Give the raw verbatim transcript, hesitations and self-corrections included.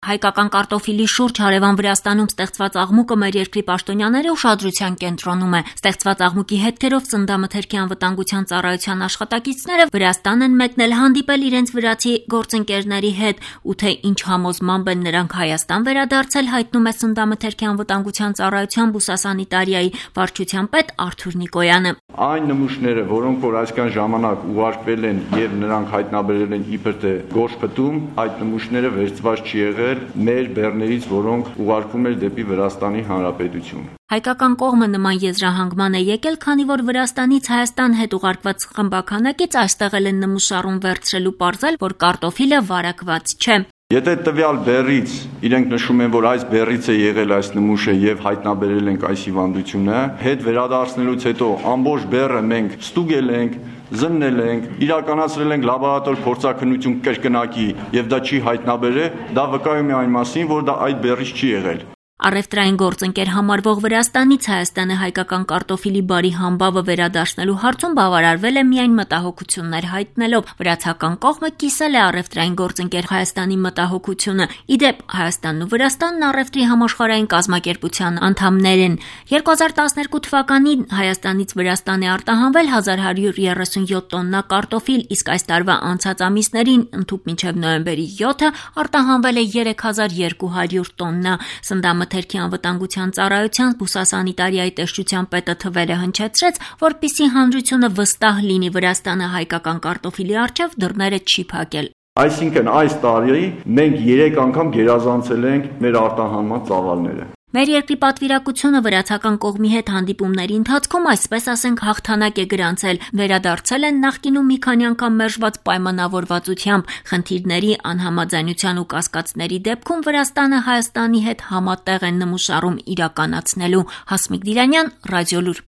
Հայկական կարտոֆիլի շուրջ հարևան Վրաստանում ստեղծված աղմուկը մեր երկրի պաշտոնյաների ուշադրության կենտրոնում է։ Ստեղծված աղմուկի հետքերով Ծննդամթերքի անվտանգության ծառայության աշխատակիցները Վրաստան են մեկնել հանդիպել իրենց վրացի գործընկերների հետ, ու թե ինչ համոզմամբ են նրանք Հայաստան վերադարձել, հայտնում է Ծննդամթերքի անվտանգության ծառայության բուսասանիտարիայի վարչության պետ Արթուր Նիկոյանը։ Այն նմուշները, որոնք որ այսքան ժամանակ ուղարկվել են եւ նրանք հայտնաբերել են իբր թե գործ փտում, այդ նմուշները վերցված չի եղել մեր բեռներից, որոնք ուղարկվում էր դեպի Վրաստանի Հանրապետություն։ Հայկական կողմը նման եզրահանգման է եկել, քանի որ Վրաստանից Հայաստան հետ ուղարկված խմբականակից այստեղ էլ են նմուշառում վերցրելու պարզել, որ կարտոֆիլը վարակված չէ։ Եթե տվյալ բեռից իրենք նշում են, որ այս բեռից է եղել այս նմուշը եւ հայտնաբերել ենք այս հիվանդությունը, հետ վերադարձնելուց հետո ամբողջ բեռը մենք ստուգել ենք, զննել ենք, իրականացրել ենք լաբորատոր փորձաքննություն կրկնակի եւ դա չի հայտնաբերել, դա վկայում է այն մասին, որ դա այդ բեռից չի եղել։ Առևտրային գործընկեր համարվող Վրաստանից Հայաստանը հայկական կարտոֆիլի բարի համբավը վերադարձնելու հարցում բավարարվել է միայն մտահոգություններ հայտնելով։ Վրացական կողմը կիսել է առևտրային գործընկեր Հայաստանի մտահոգությունը։ Իդեպ Հայաստանն ու Վրաստանն առևտրի համաշխարհային կազմակերպության անդամներ են։ երկու հազար տասներկու թվականին Հայաստանից Վրաստան է արտահանվել հազար հարյուր երեսունյոթ տոննա կարտոֆիլ, իսկ այս տարվա անցած ամիսներին, ընդհուպ մինչև նոյեմբերի յոթը, արտահանվել է երեք հազար երկու հարյուր տոննա։ Ծննդամթերքի անվտանգության ծառայության բուսասանիտարիայի տեսչության պետը թվերը հնչեցրեց, որպեսզի հանրությունը վստահ լինի, Վրաստանը հայկական կարտոֆիլի առջև դռները չի փակել։ Այսինքն այս տարի մենք երեք անգամ գերազանցել ենք մեր արտահանման ծավալները։ Մեր երկրի պատվիրակությունը վրացական կողմի հետ հանդիպումների ընթացքում, այսպես ասենք, հաղթանակ է գրանցել, վերադարձել են նախկինում մի քանի անգամ մերժված պայմանավորվածությամբ, խնդիրների, անհամաձայնության ու կասկածների դեպքում Վրաստանը Հայաստանի հետ համատեղ են նմուշառում իրականացնելու։ Հասմիկ Դիրանյան, Ռադիոլուր։